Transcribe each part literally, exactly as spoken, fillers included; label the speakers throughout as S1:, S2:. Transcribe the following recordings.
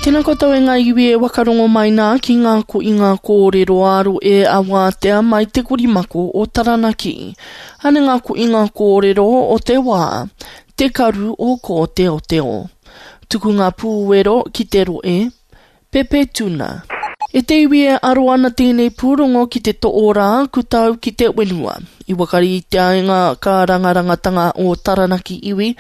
S1: Tēnā koutou e ngā iwi e wakarongo mai nā ki ngā ko i ngā kōrero aro e awātea mai te korimako o Taranaki. Ane ngā ko i ngā kōrero o te wā, te karu o Kōteoteo. Tuku ngā pūwero ki te roe, Pepe Tuna. E te iwi e aro ana tēnei pūrongo ki te to'orā kutau ki te whenua. I wakaritea ai ngā kārangarangatanga o Taranaki iwi,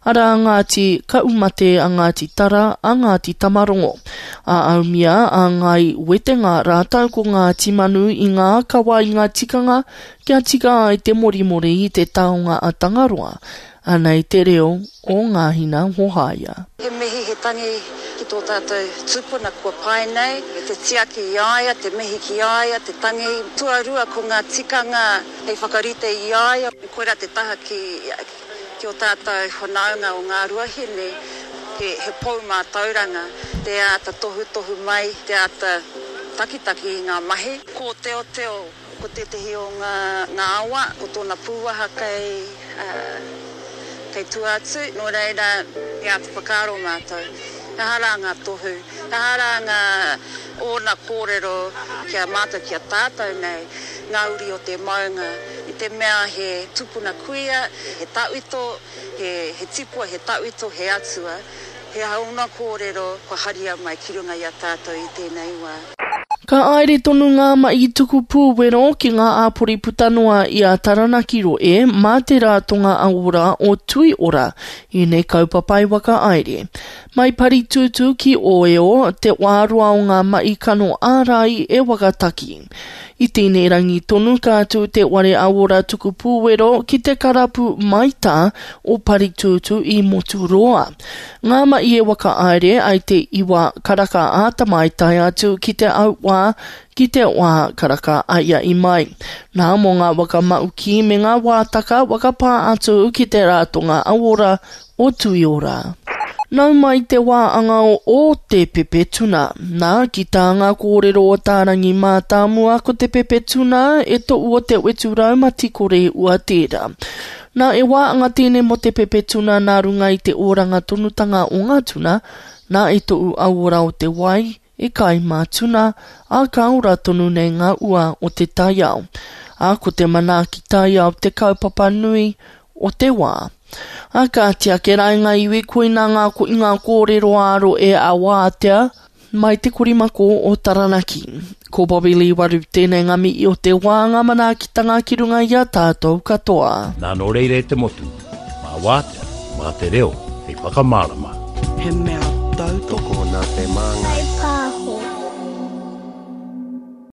S1: arā Ngāti Kaumate a Ngāti Tara a Ngāti Tamarongo. A Aumia a Ngāi Wetenga rātou ko Ngāti Manu i ngā kawa i ngā tikanga kia tika ai te morimori i te taonga a Tangaroa. Anei te reo o Ngāhina Hohaia.
S2: He mihi, he tangi ki tō tātou tupuna kua pae nei, te tiaki i a ia, te mihi ki a ia, te tangi. Tuarua ko ngā tikanga hei whakarite i a ia. Koirā te taha ki, ki ō tātou whanaunga o Ngāruahine, he, he pou mātauranga, te āta tohutohu mai, te āta takitaki i ngā mahi. Kōteoteo, ko tētehi o ngā, ngā awa, ko tōna pūaha kei, kei tua atu, nō reira, he āta whakaaro mātou, he aha rā ngā tohu, he aha rā ngā ōna kōrero ki a mātou, ki a tātou nei, ngā uri o te maunga, i te mea he tupuna kuia, he tauito, he, he tipua, he tauito, he atua, he aha ōna kōrero kua haria mai ki runga i a tātou i tēnei wā.
S1: Ka aere tonu ngā mahi tuku pūwero ki ngā āpori puta noa i a Taranaki roe mā te Ratonga Ora o Tui Ora ēnei kaupapa i whakahaere. Mai Paritutu ki Oeo, te wā roa o ngā mahi kano ārai e whakataki. I tēnei rangi tonu ka tū te Ware Ora Tuku Pūwero ki te karapu Maita o Paritutu i Moturoa. Ngā mahi e whakahaere ai te iwa karaka āta mai tae atu ki te auwā ki te wā karaka aia i mai. Nā mō ngā whakamauki me ngā wātaka whakapā atu ki te Ratonga Ora o Tuiora. Nau mai te wā angao o te pepe tuna. Nā, ki tā ngā kōrero o Tārangi Mātāmua ko te pepe tuna e to'u o te wetu raumati kore ua tērā. Nā, e wā anga tēnei mō te pepe tuna nā runga i te oranga tonutanga o ngā tuna, nā e to'u auora o te wai, e kai mā tuna, ā ka ora tonu nei ngā ua o te taiao. Ā, ko te manaaki taiao te kaupapa nui o te wā. A kāti ake rā i ngā iwi koina ngā ko i ngā kōrero āro e awātea mai te korimako o Taranaki. Ko Bobby Lee Waru tēnei ngā mihi o te wā ngā manaakitanga ki runga i a tātou katoa.
S3: Nā nō reira e te motu, mā wātea, mā te reo, hei whakamārama.
S4: He mea tautoko.
S5: Tokona te māngai.